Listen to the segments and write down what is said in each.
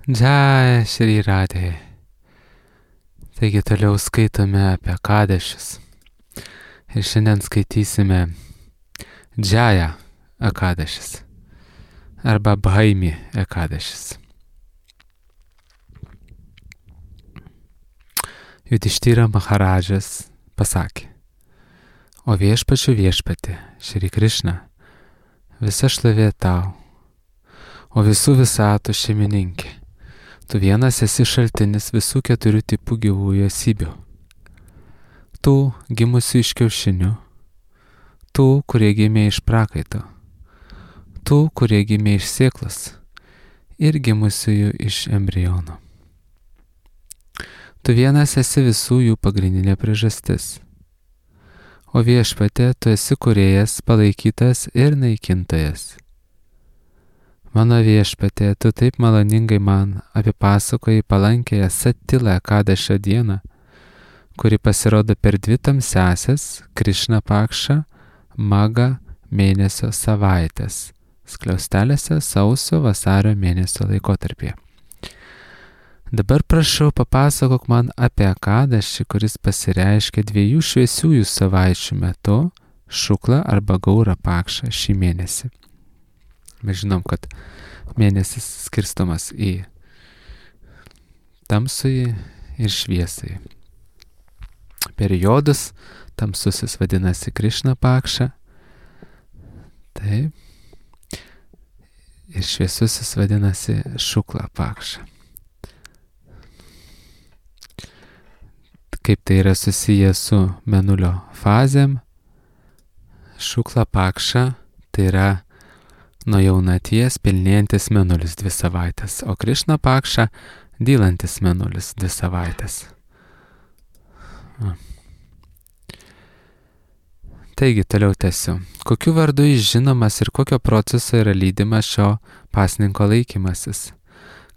Jai Shri Radhe. Taigi toliau skaitome apie Ekadešis. Ir šiandien skaitysime Džaja Ekadešis arba Bhaimi Ekadešis. Judhišthira Maharadžas pasakė: O viešpačių viešpatė, Šri Krišna, visa šlovė tau, o visų visatų šeimininkė. Tu vienas esi šaltinis visų keturių tipų gyvųjų esybių. Tų gimusių iš kiaušinių, tų, kurie gimė iš prakaito, tų, kurie gimė iš sėklos ir gimusiųjų iš embriono. Tu vienas esi visų jų pagrindinė priežastis. O viešpatė, tu esi kūrėjas, palaikytas ir naikintojas. Mano viešpatė, tu taip maloningai man apipasakoji palankėją Satilą Ekadešio dieną, kuri pasirodo per dvi tamsiąsias Krišna Pakša Maga mėnesio savaitės, skliaustelėse sausio vasario mėnesio laikotarpyje. Dabar prašau, papasakok man apie Ekadešį, kuris pasireiškia dviejų šviesiųjų savaičių metu, Šukla arba Gaura Pakša šį mėnesį. Mes žinom, kad mėnesis skirstomas į tamsųjį ir šviesąjį. Periodus tamsusis vadinasi Krišna Pakša, taip, ir šviesusis vadinasi Šukla Pakša. Kaip tai yra susiję su mėnulio fazėm, Šukla Pakša tai yra nuo jaunaties pilnėjantis mėnulis 2 savaitės, o Krišna Pakša dylantis mėnulis 2 savaitės. Taigi, toliau tęsiu. Kokiu vardu jis žinomas ir kokio proceso yra lydimas šio pasninko laikymasis?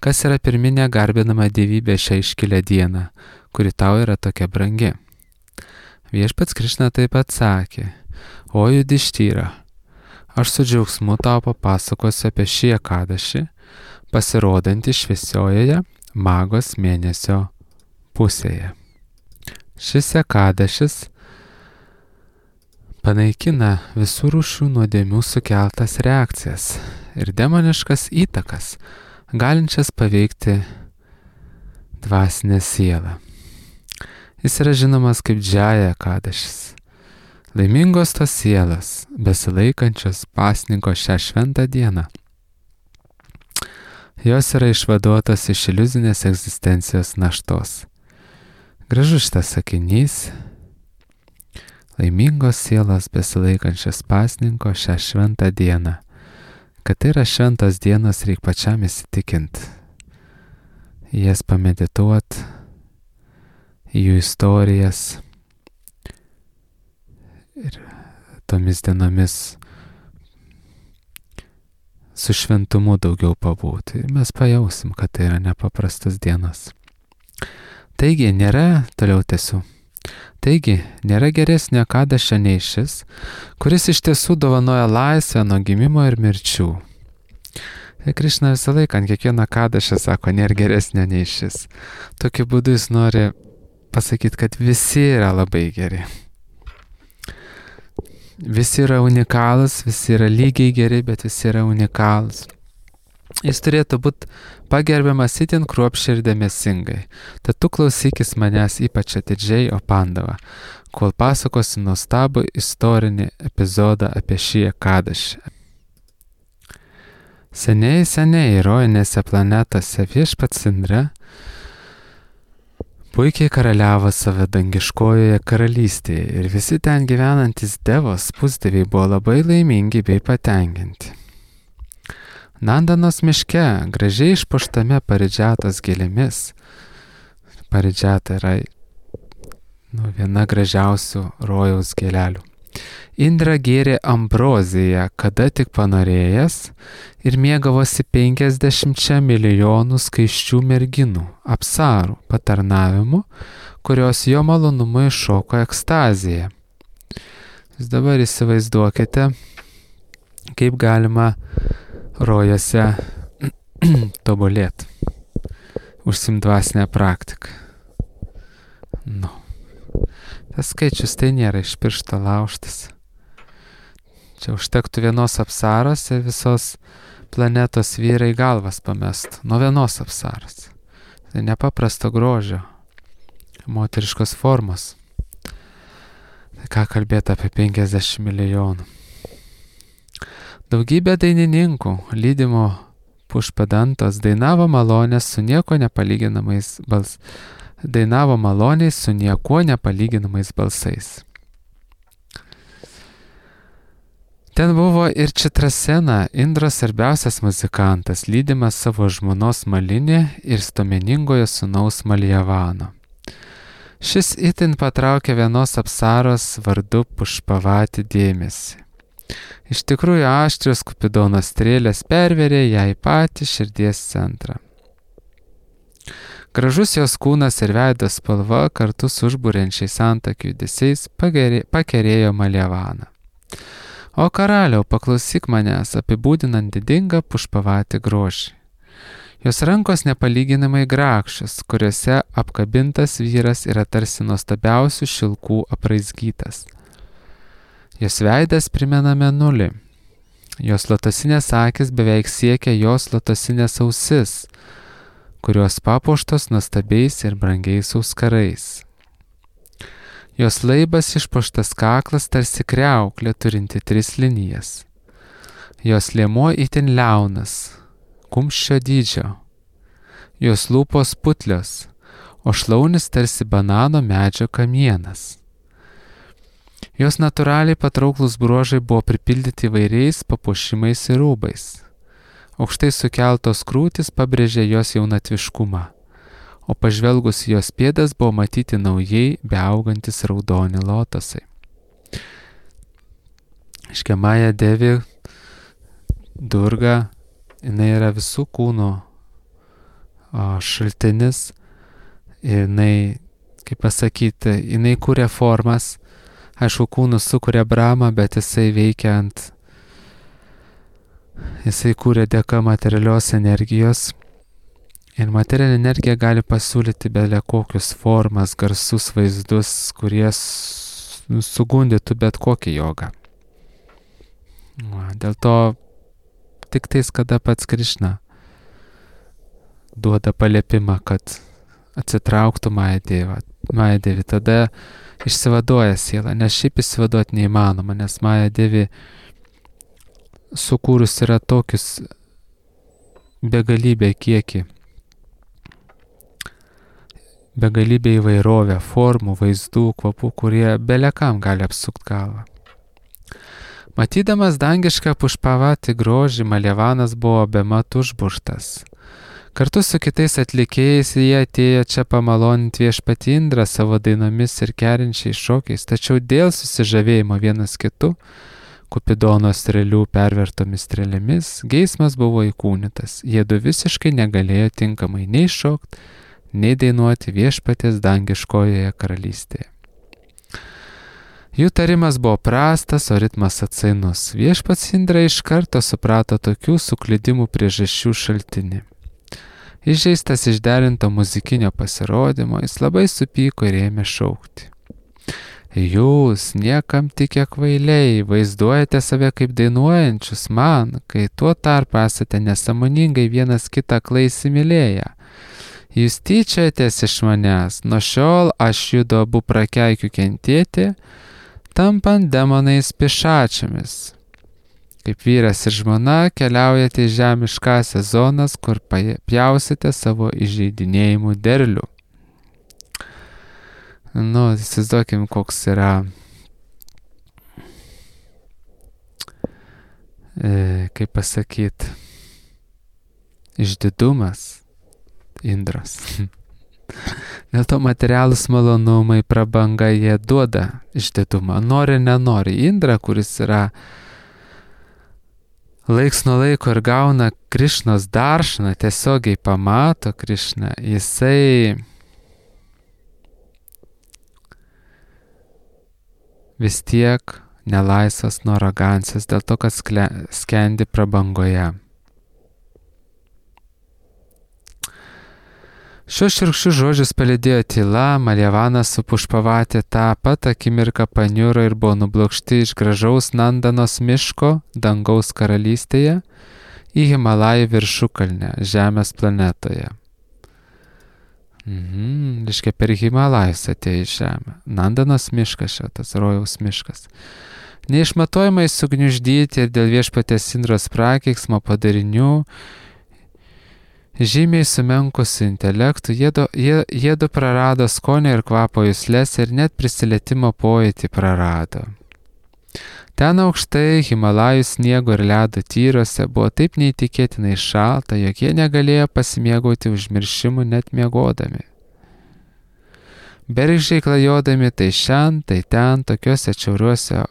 Kas yra pirminė garbinama dievybė šią iškilę dieną, kuri tau yra tokia brangi? Viešpats Krišna taip pat sakė: O Judhišthira, aš su džiaugsmu tau papasakosiu apie šį Ekadešį, pasirodantį šviesiojoje Magos mėnesio pusėje. Šis Ekadešis panaikina visų rūšių nuodėmių sukeltas reakcijas ir demoniškas įtakas, galinčias paveikti dvasinę sielą. Jis yra žinomas kaip Džaja Ekadešis. Laimingos tos sielos, besilaikančios pasninko šią šventą dieną. Jos yra išvaduotos iš iliuzinės egzistencijos naštos. Gražus šitas sakinys. Laimingos sielos, besilaikančios pasninko šią šventą dieną. Kad tai yra šventos dienos, reik pačiam įsitikint. Jas pamedituot, jų istorijas. Ir tomis dienomis su šventumu daugiau pabūti. Ir mes pajausim, kad tai yra nepaprastas dienos. Taigi, toliau tęsiu. Taigi, nėra geresnio Ekadešio nei šis, kuris iš tiesų dovanoja laisvę nuo gimimo ir mirčių. Tai Krišna visą laiką ant kiekvieno Ekadešio sako, nėra geresnio nei šis. Tokiu būdu jis nori pasakyti, kad visi yra labai geri. Visi yra unikalūs, visi yra lygiai geri, bet visi yra unikalūs. Jis turėtų būti pagerbiamas itin kruopščiai ir dėmesingai. Tad tu klausykis manęs ypač atidžiai, o Pandava, kol pasakosiu nuostabų istorinį epizodą apie šį Ekadešį. Seniai rojinėse planetose viešpats Indra puikiai karaliavo savo dangiškojoje karalystėje ir visi ten gyvenantys devos pusdieviai buvo labai laimingi bei patenkinti. Nandanos miške, gražiai išpuoštame paridžiatos gėlėmis, paridžiata yra viena gražiausių rojaus gėlelių. Indra gėrė ambroziją, kada tik panorėjęs, ir mėgavosi 50 milijonų skaisčių merginų, apsarų patarnavimu, kurios jo malonumu iššoko ekstaziją. Jūs dabar įsivaizduokite, kaip galima rojose tobulėti. užsiimt dvasinę praktiką. Tas skaičius tai nėra iš piršto laužtas. Čia užtektų vienos apsaros ir visos planetos vyrai galvas pamestų. Nuo vienos apsaros. Tai nepaprasto grožio, moteriškos formos. Tai ką kalbėti apie 50 milijonų. Daugybė dainininkų, lydimo Pušpadantos, dainavo maloniai su niekuo nepalyginamais balsais. Ten buvo ir Čitrasena, Indros svarbiausias muzikantas, lydimas savo žmonos Malinė ir stomeningojo sūnaus Maljavano. Šis itin patraukė vienos apsaros vardu Pušpavati dėmesį. Iš tikrųjų aštrios Kupidono strėlės perverė ją į patį širdies centrą. Gražus jos kūnas ir veido spalva kartu su užburiančiais antakių judesiais pakerėjo Maljavaną. O karaliau, paklausyk manęs, apibūdinant didingą Pušpavati grožį. Jos rankos nepalyginamai grakščios, kuriuose apkabintas vyras yra tarsi nuostabiausių šilkų apraizgytas. Jos veidas primena mėnulį. Jos lotosinės akis beveik siekia jos lotosinės ausis, kurios papuoštos nuostabiais ir brangiais auskarais. Jos laibas išpuoštas kaklas tarsi kriauklė turinti 3 linijas. Jos liemuo itin liaunas, kumščio dydžio. Jos lūpos putlios, o šlaunis tarsi banano medžio kamienas. Jos natūraliai patrauklus bruožai buvo pripildyti įvairiais papuošimais ir rūbais. Aukštai sukeltos krūtis pabrėžė jos jaunatviškumą, o pažvelgus į jos pėdas buvo matyti naujai beaugantis raudoni lotosai. Maja Devi Durga, jinai yra visų kūnų šaltinis, jinai, kaip pasakyti, jinai kūrė formas, aišku, kūnus sukuria Brahma, bet jisai kūrė dėka materialios energijos. Ir materialinė energija gali pasiūlyti belia kokius formas, garsus, vaizdus, kurie sugundytų bet kokį jogą. Dėl to tik tais, kada pats Krišna duoda paliepimą, kad atsitrauktų Maja Devi, tada išsivaduoja siela, nes šiaip išsivaduoti neįmanoma, nes Maja Devi sukūrus yra tokius begalybę kiekį, begalybė įvairovė, formų, vaizdų, kvapų, kurie belekam gali apsukti galvą. Matydamas dangišką Pušpavati grožį, Maljavanas buvo bemat užburtas. Kartu su kitais atlikėjais jie atėjo čia pamaloninti viešpatį Indrą savo dainomis ir kerinčiais šokiais, tačiau dėl susižavėjimo vienas kitu, Kupidono strėlių pervertomis strėlėmis, geismas buvo įkūnytas. Jiedu visiškai negalėjo tinkamai nei šokti, nei dainuoti viešpaties dangiškojoje karalystėje. Jų tarimas buvo prastas, o ritmas atsainus. Viešpats Indra iš karto suprato tokių suklydimų priežasčių šaltinį. Įžeistas išderinto muzikinio pasirodymo, jis labai supyko ir ėmė šaukti. Jūs, niekam tikę kvailiai, vaizduojate save kaip dainuojančius man, kai tuo tarpu esate nesąmoningai vienas kitą aklai įsimylėję. Jūs tyčiojatės iš manęs, nuo šiol aš judu abu prakeikiu kentėti, tampant demonais pišačiamis. Kaip vyras ir žmona keliaujate į žemiškąsias zonas, kur pjausite savo įžeidinėjimų derlių. Įsivaizduokim, koks yra, kaip pasakyti, išdidumas Indros. Dėl to materialūs malonumai, prabanga, jie duoda išdidumą. Nori, nenori. Indra, kuris yra laiks nuo laiko ir gauna Krišnos daršaną, tiesiogiai pamato Krišną, jisai vis tiek nelaisvas nuo arogancijos, dėl to, kad skendi prabangoje. Šios šiurkščius žodžius palydėjo tyla, Maljavanas su Pušpavatė tą pat akimirką paniuro ir buvo nublokšti iš gražaus Nandanos miško dangaus karalystėje į Himalajų viršukalnę Žemės planetoje. Reiškia, per Himalajus atėjo į Žemę. Nandanos miškas šitas, rojaus miškas. Neišmatuojamai sugniuždyti ir dėl viešpatės Indros prakeiksmo padarinių, žymiai sumenkusių intelektų, jiedu prarado skonio ir kvapo juslės ir net prisilietimo pojūtį prarado. Ten aukštai Himalajų sniego ir ledo tyruose buvo taip neįtikėtinai šalta, jog jie negalėjo pasimėgauti užmiršimu net miegodami. Bergždžiai klajodami tai šen, tai ten, tokiuose atšiauriuose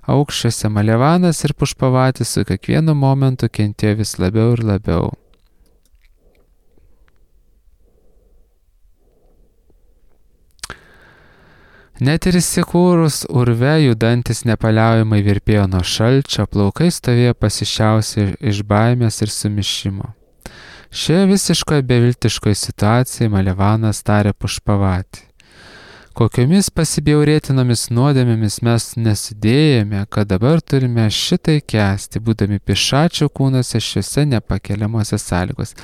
aukščiuose Maljavanas ir Pušpavatis su kiekvienu momentu kentėjo vis labiau ir labiau. Net ir įsikūrus urve judantis nepaliaujamai virpėjo nuo šalčio, plaukai stovėjo pasišiausi iš baimės ir sumišimo. Šioje visiškoje beviltiškoje situacijoje Maljavanas tarė Pušpavatį. Kokiomis pasibjaurėtinomis nuodėmėmis mes nesidėjome, kad dabar turime šitai kęsti, būdami pišačio kūnuose šiuose nepakeliamuose sąlygos.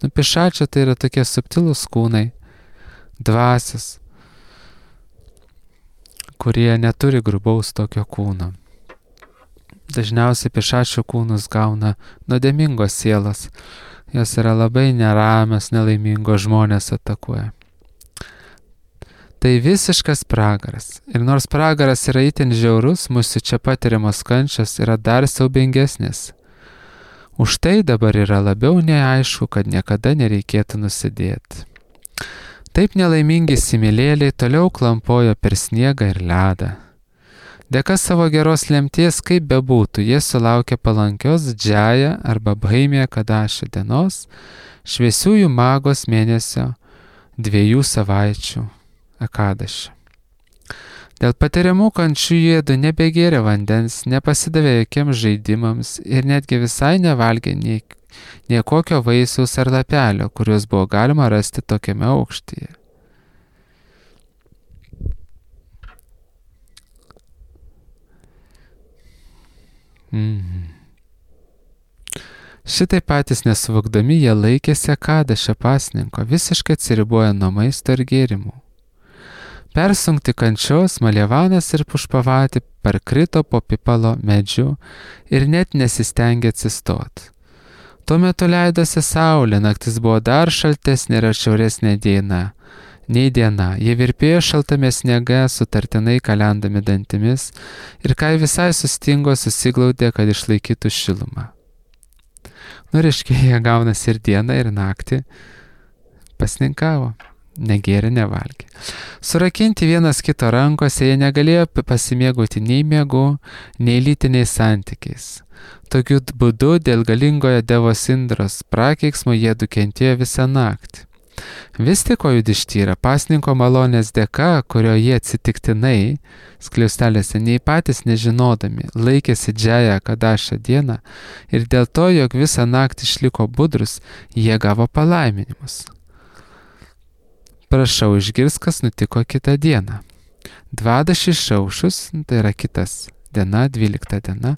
Pišačio tai yra tokie subtilūs kūnai, dvasios, kurie neturi grubaus tokio kūno. Dažniausiai pišačio kūnus gauna nuodėmingos sielos. Jos yra labai neramios, nelaimingos, žmonės atakuoja. Tai visiškas pragaras. Ir nors pragaras yra itin žiaurus, mūsų čia patiriamos kančios yra dar siaubingesnės. Už tai dabar yra labiau neaišku, kad niekada nereikėtų nusidėti. Taip nelaimingi similėliai toliau klampojo per sniegą ir ledą. Dėka savo geros lemties, kaip bebūtų, jie sulaukė palankios džaja arba Bhaimija Kadašio dienos, šviesiųjų magos mėnesio 2 savaičių Ekadašio. Dėl patiriamų kančių jiedu nebegėrė vandens, nepasidavė jokiems žaidimams ir netgi visai nevalgė nei kokio vaisiaus ar lapelio, kuriuos buvo galima rasti tokiame aukštyje. Šitai patys nesuvokdami jie laikėsi Ekadašio pasninko, visiškai atsiriboję nuo maisto ir gėrimų. Persunkti kančios, Maljavanas ir Pušpavatė parkrito po pipalo medžiu ir net nesistengė atsistoti. Tuo metu leidosi saulė, naktis buvo dar šaltesnė ir atšiauresnė nei diena. Jie virpėjo šaltame sniege, sutartinai kalendami dantimis ir kai visai sustingo, susiglaudė, kad išlaikytų šilumą. Reiškia, jie gaunasi ir dieną, ir naktį pasninkavo. Negėrė, nevalgė. Surakinti vienas kito rankose, jie negalėjo pasimėgauti nei miegu, nei lytiniais santykiais. Tokiu būdu dėl galingojo devos Indros prakeiksmo jie kentėjo visą naktį. Vis tik Judištyra pasninko malonės dėka, kurio jie atsitiktinai, skliaustelėse nei patys nežinodami, laikėsi džają Kadašio dieną ir dėl to, jog visą naktį išliko budrus, jie gavo palaiminimus. Prašau išgirs, kas nutiko kitą dieną. Dvadašį išaušus, tai yra kitas diena, 12 diena,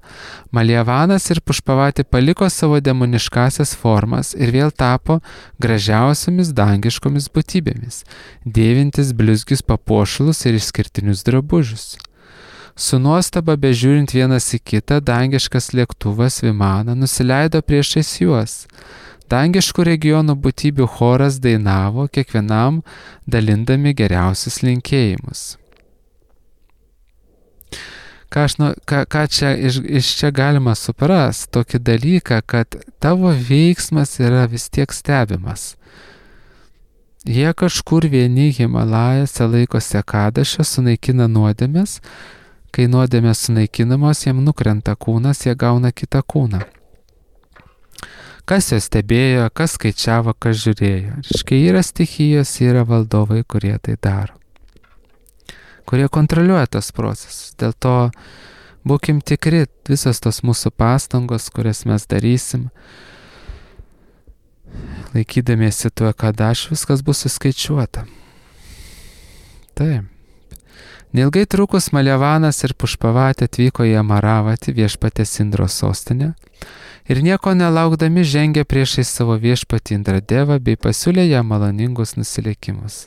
Maljavanas ir Pušpavatė paliko savo demoniškasias formas ir vėl tapo gražiausiamis dangiškomis būtybėmis, dėvintis blizgius papuošalus ir išskirtinius drabužius. Su nuostaba bežiūrint vienas į kitą, dangiškas lėktuvas Vimana nusileido priešais juos. Dangiškų regionų būtybių choras dainavo, kiekvienam dalindami geriausius linkėjimus. Ką čia iš čia galima suprasti? Tokį dalyką, kad tavo veiksmas yra vis tiek stebimas. Jie kažkur vieni Himalajose laikosi Ekadašio, sunaikina nuodėmes. Kai nuodėmės sunaikinamos, jiem nukrenta kūnas, jie gauna kitą kūną. Kas juos stebėjo, kas skaičiavo, kas žiūrėjo. Reiškia, yra stichijos, yra valdovai, kurie tai daro. Kurie kontroliuoja tos procesus. Dėl to būkim tikri, visos tos mūsų pastangos, kurias mes darysim, laikydamiesi tuo, kad viskas bus suskaičiuota. Taip. Neilgai trukus Maljavánas ir Pušpavatė atvyko į Amaravatį, viešpatės Indros sostinę, ir nieko nelaukdami žengė priešais savo viešpatį Indradevą bei pasiūlė jam maloningus nusilenkimus.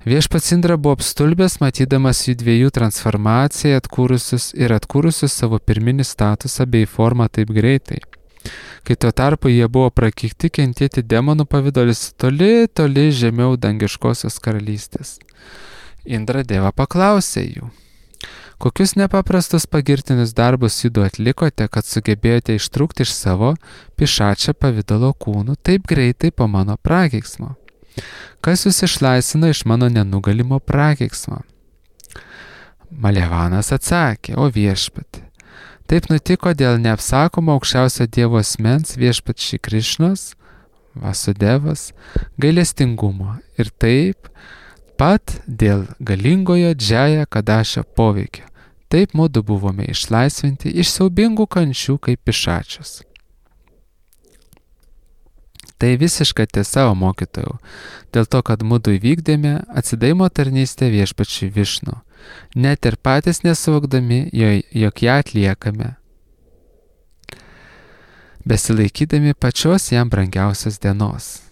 Viešpats Indra buvo apstulbęs, matydamas jų dviejų transformaciją atkūrusius savo pirminį statusą bei formą taip greitai, kai tuo tarpu jie buvo prakeikti kentėti demonų pavidalius toli, toli žemiau dangiškosios karalystės. Indradeva paklausė jų: kokius nepaprastus pagirtinius darbus judu atlikote, kad sugebėjote ištrūkti iš savo pišačio pavidalo kūnų taip greitai po mano prakeiksmo? Kas jūs išlaisvino iš mano nenugalimo prakeiksmo? Maljavánas atsakė: o viešpatį, taip nutiko dėl neapsakomo aukščiausio Dievo asmens viešpat Šri Krišnos, Vasudevas, gailestingumo ir taip pat dėl galingojo Džaja Kadašio poveikio. Taip mudu buvome išlaisvinti iš siaubingų kančių kaip pišačius. Tai visiška tiesa, o mokytojau, dėl to, kad mudu įvykdėme atsidavimo tarnystę viešpačiui Višnu, net ir patys nesuvokdami, jog ją atliekame, besilaikydami pačios jam brangiausios dienos.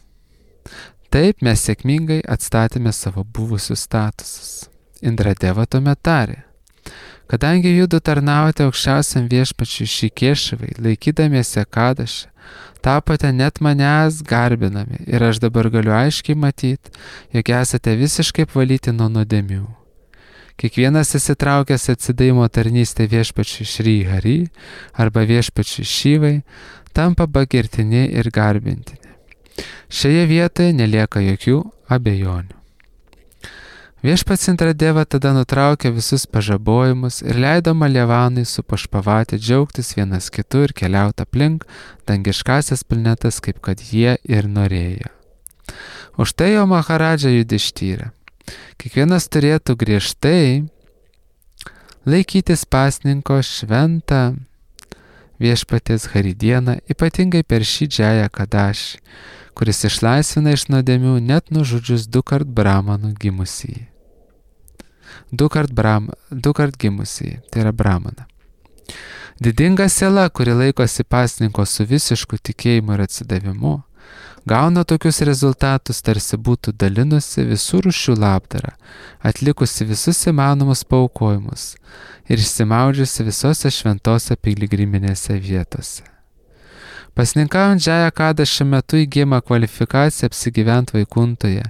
Taip mes sėkmingai atstatėme savo buvusius statusus. Indradeva tuomet tarė: kadangi judu tarnavote aukščiausiam viešpačiui Šikešavai, laikydamiesi Kadaše, tapote net manęs garbinami ir aš dabar galiu aiškiai matyti, jog esate visiškai apvalyti nuo nuodėmių. Kiekvienas įsitraukęs atsidavimo tarnystę viešpačiui Šri Hari arba viešpačiui Šivai tampa pagirtini ir garbintini. Šioje vietoje nelieka jokių abejonių. Viešpats Indradeva tada nutraukė visus pažabojimus ir leido Maljavanui su Pušpavatė džiaugtis vienas kitu ir keliauti aplink dangiškasias planetas, kaip kad jie ir norėjo. Už tai jo Maharadža Judištyrė: kiekvienas turėtų griežtai laikytis pasninko šventą viešpaties Haridieną, ypatingai per šį Džają Kadašį, kuris išlaisvina iš nuodėmių net nužudžius dukart Brahmanų gimusįjį. Dukart gimusįjį, tai yra Brahmaną. Didinga siela, kuri laikosi pasninko su visišku tikėjimu ir atsidavimu, gauna tokius rezultatus, tarsi būtų dalinusi visų rūšių labdarą, atlikusi visus įmanomus paaukojimus ir išsimaudžiusi visose šventose piligriminėse vietose. Pasninkaujant Džaja Kadašio metu įgyjama kvalifikacija apsigyventi Vaikuntoje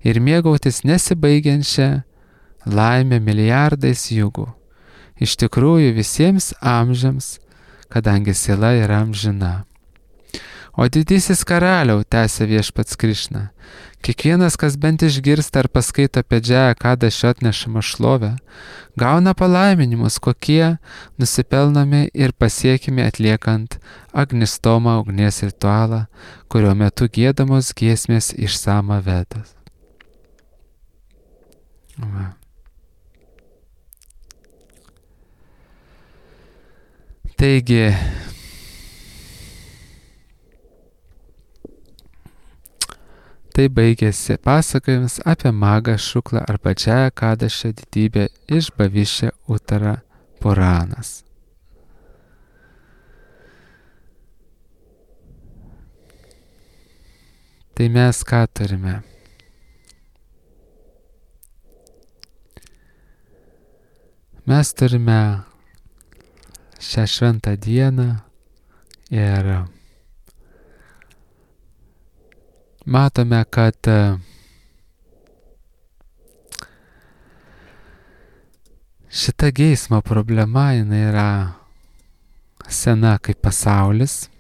ir mėgautis nesibaigiančią laimę milijardais jugų. Iš tikrųjų visiems amžiams, kadangi siela yra amžina. O didysis karaliau, tęsė viešpats Krišna, kiekvienas, kas bent išgirsta ar paskaito apie Džają Kadašio atnešamą šlovę, gauna palaiminimus, kokie nusipelnomi ir pasiekimi atliekant Agnistoma ugnies ritualą, kurio metu giedamos giesmės iš Samavedos. Taigi, tai baigėsi pasakojimas apie Magą Šuklą arba Džają Kadašio didybę iš Bhavišya Uttara Puranas. Tai mes ką turime? Mes turime šią šventą dieną ir matome, kad šita geismo problema jinai yra sena kaip pasaulis.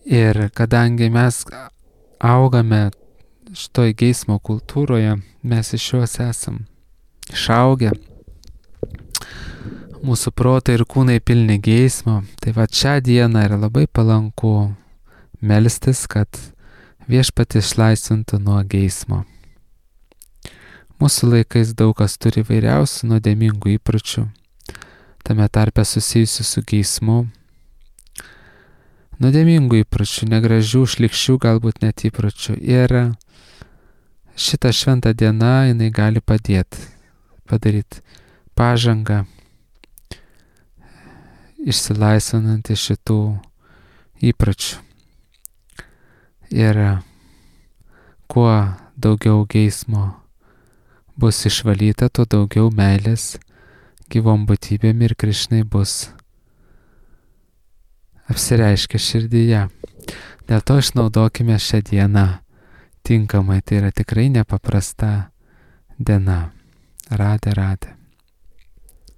Ir kadangi mes augame šitoj geismo kultūroje, mes iš jos esam išaugę, mūsų protai ir kūnai pilni geismo, tai va šią dieną yra labai palanku melstis, kad viešpatis išlaisvintų nuo geismo. Mūsų laikais daug kas turi vairiausių nuodėmingų įpročių, tame tarpe susijusių su geismu. nuodėmingų įpročių, negražių, šlykščių galbūt net įpročių. Ir šitą šventą dieną jinai gali padaryti pažangą, išsilaisvinant iš šitų įpročių. Ir kuo daugiau geismo bus išvalyta, tuo daugiau meilės gyvom būtybėm ir Krišnai bus apsireiškia širdyje. Dėl to išnaudokime šią dieną tinkamai. Tai yra tikrai nepaprasta diena. Radė.